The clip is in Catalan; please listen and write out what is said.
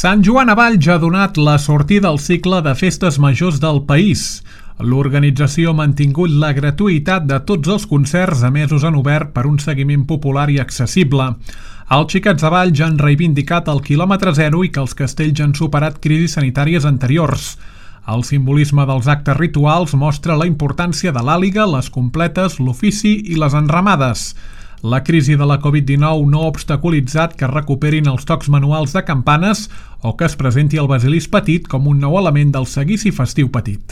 Sant Joan a Valls ha donat la sortida al cicle de festes majors del país. L'organització ha mantingut la gratuïtat de tots els concerts emesos en obert per un seguiment popular i accessible. Els xiquets de Valls han reivindicat el quilòmetre zero i que els castells han superat crisis sanitàries anteriors. El simbolisme dels actes rituals mostra la importància de l'àliga, les completes, l'ofici i les enramades. La crisi de la Covid-19 no ha obstaculitzat que es recuperin els tocs manuals de campanes o que es presenti el basilisc petit com un nou element del seguici festiu petit.